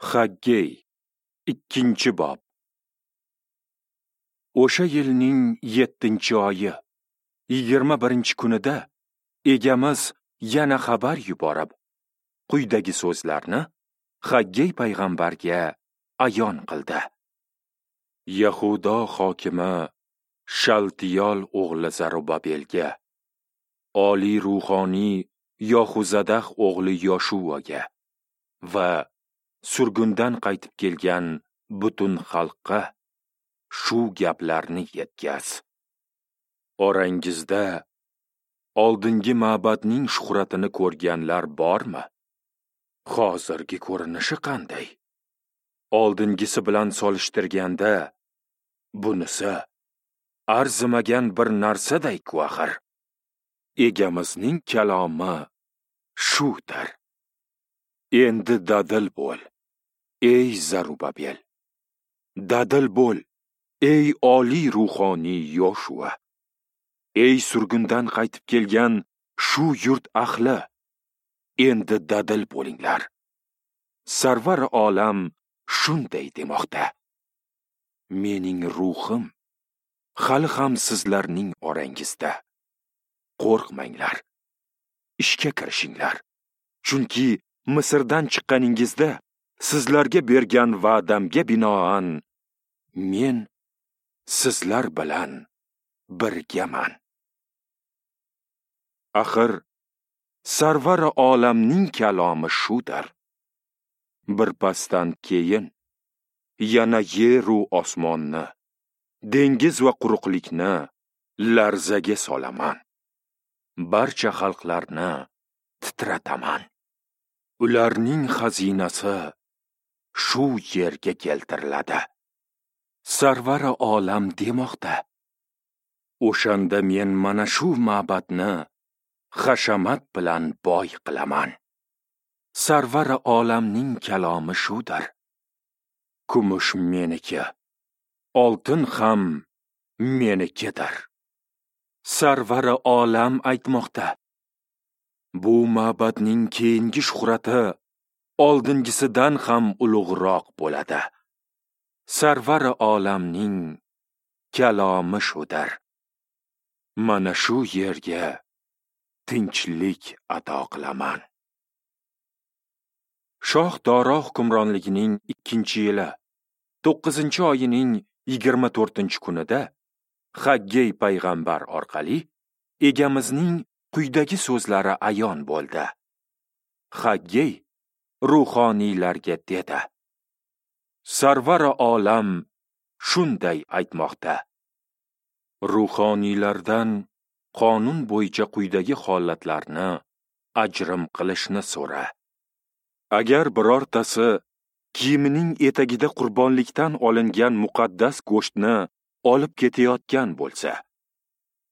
Haggey, 2-bob. O'sha yilning 7-oyi, 21-kunida egamiz yana xabar yuborib, quyidagi so'zlarni Haggey payg'ambarga ayon qildi. Yahudo hokimi Shaltiyol o'g'li Zarubabelga, oliy ruhoniy Yohuzadah o'g'li Yoshuaga va surgundan qaytib kelgan butun xalqqa shu gaplarni yetkaz. Orangizda oldingi ma'badning shuhratini ko'rganlar bormi? Hozirgi ko'rinishi qanday? Oldingisi bilan solishtirganda bunisi arzimagan bir narsaday-ku axir. Egamizning kalomi shudir. Endi dadil bo'l, ey Zarubabel. Dadil bo'l, ey oliy ruhoniy Yoshua. Ey surgundan qaytib kelgan shu yurt ahli, endi dadil bo'linglar. Sarvar olam shunday demoqda: mening ruhim hali ham sizlarning orangizda. Qo'rqmanglar, ishga kirishinglar. Chunki Misrdan chiqqaningizda sizlarga bergan va'damga binoan men sizlar bilan birgaman. Axir Sarvar olamning kalomi shudir. Birpasdan keyin yana yeru osmonni, dengiz va quruqlikni larzaga solaman. Barcha xalqlarni titrataman. Ularning xazinasi shu yerga keltiriladi. Sarvar olam demoqda: o'shanda men mana shu ma'badni hashamat bilan boy qilaman. Sarvar olamning kalomi shudir. Kumush meniki, oltin ham menikidir. Sarvar olam aytmoqda: bu ma'badning keyingi shuhrati oldingisidan ham ulug'roq bo'ladi. Sarvar olamning kalomi shudir. Mana shu yerga tinchlik ato qilaman. Shoh Doro hukmronligining 2-yili, 9-oyining 24-kunida Haggey payg'ambar orqali egamizning quyidagi so'zlari ayon bo'ldi. Haggey ruhoniylarga dedi: Sarvar olam shunday aytmoqda: ruhoniylardan qonun bo'yicha quyidagi holatlarni ajrim qilishni so'ra. Agar birortasi kiyimining etagida qurbonlikdan olingan muqaddas go'shtni olib ketayotgan bo'lsa,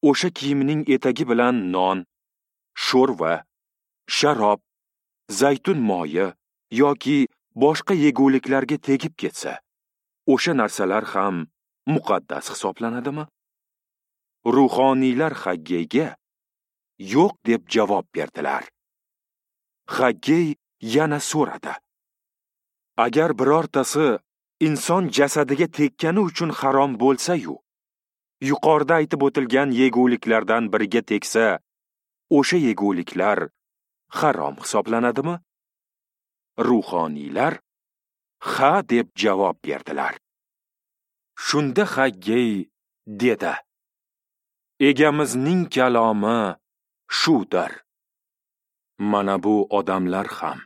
o'sha kiyimining etagi bilan non, sho'rva, sharob, zaytun moyi yoki boshqa yeguliklarga tegib ketsa, o'sha narsalar ham muqaddas hisoblanadimi? Ruhoniylar Haggeyga yo'q deb javob berdilar. Haggey yana so'radi: agar birortasi inson jasadiga tekkani uchun harom bo'lsa-yu, yuqorida aytib o'tilgan yeguliklardan biriga tegsa, o'sha yeguliklar harom hisoblanadimi? Ruhoniylar ha deb javob berdilar. Shunda Haggey dedi: egamizning kalomi shudir. Mana bu odamlar ham,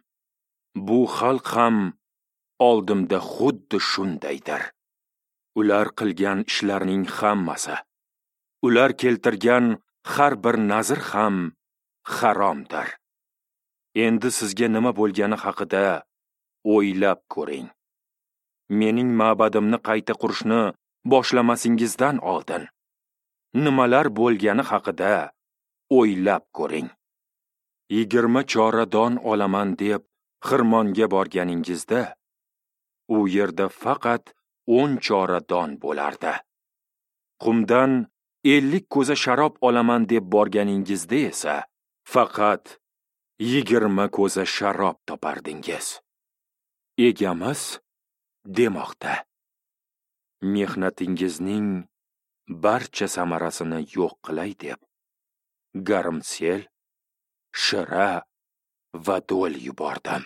bu xalq ham oldimda xuddi shundaydir. Ular qilgan ishlarning hammasi, ular keltirgan har bir nazr ham haromdir. Endi sizga nima bo'lgani haqida o'ylab ko'ring. Mening ma'badimni qayta qurishni boshlamasingizdan oldin nimalar bo'lgani haqida o'ylab ko'ring. 20 chora don olaman deb xirmonga borganingizda, u yerda faqat 10 chora don bo'lardi. Qumdan 50 ko'za sharob olaman deb borganingizda esa faqat 20 ko'za sharob topardingiz. Egamiz demoqda: Mehnatingizning barcha samarasini yo'q qilay deb garmsel, shira va do'l yubordim.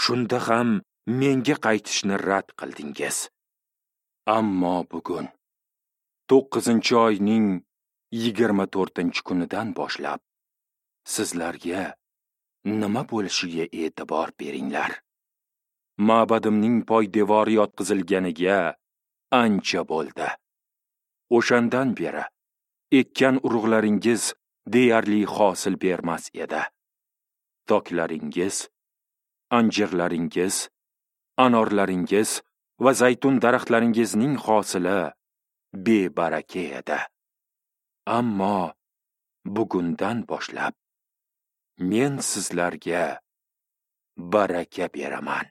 Shunda ham menga qaytishni rad qildingiz. Ammo bugun 9-oyning 24-kunidan boshlab sizlarga nima bo'lishiga e'tibor beringlar. Ma'badimning poydevori yotqizilganiga ancha bo'ldi. O'shandan beri ekkan urug'laringiz deyarli hosil bermas edi. Toklaringiz, anjirlaringiz, anorlaringiz va zaytun daraxtlaringizning hosili bebaraka edi. Ammo bugundan boshlab men sizlarga baraka beraman.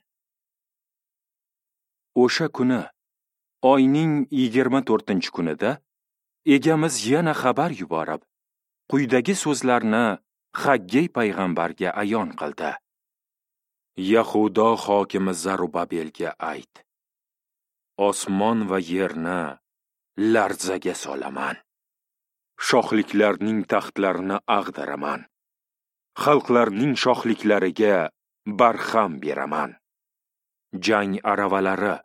O'sha kuni, oyning 24-kunida egamiz yana xabar yuborib, quyidagi so'zlarni Haggey payg'ambarga ayon qildi. Yahudo hokimi Zarubabelga ayt: Osmon va yerni larzaga solaman. Shohliklarning taxtlarini ag'daraman. Xalqlarning shohliklariga barham beraman. Jang aravalari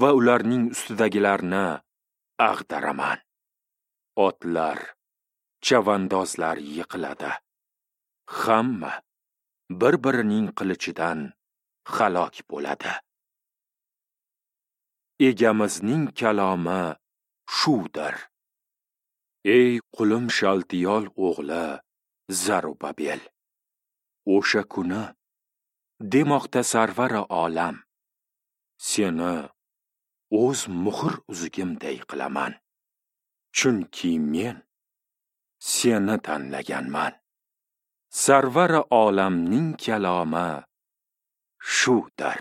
va ularning ustidagilarni ag'daraman. Otlar, chavandozlar yiqiladi. Hamma bir-birining qilichidan halok bo'ladi. Egamizning kalomi shudir. Ey qulim Shaltiyol o'g'li Zarubabel, o'sha kuni, demoqda Sarvari olam, seni o'z muhr uzugimday qilaman. Chunki men seni tanlaganman. Sarvari olamning kalomi shudir.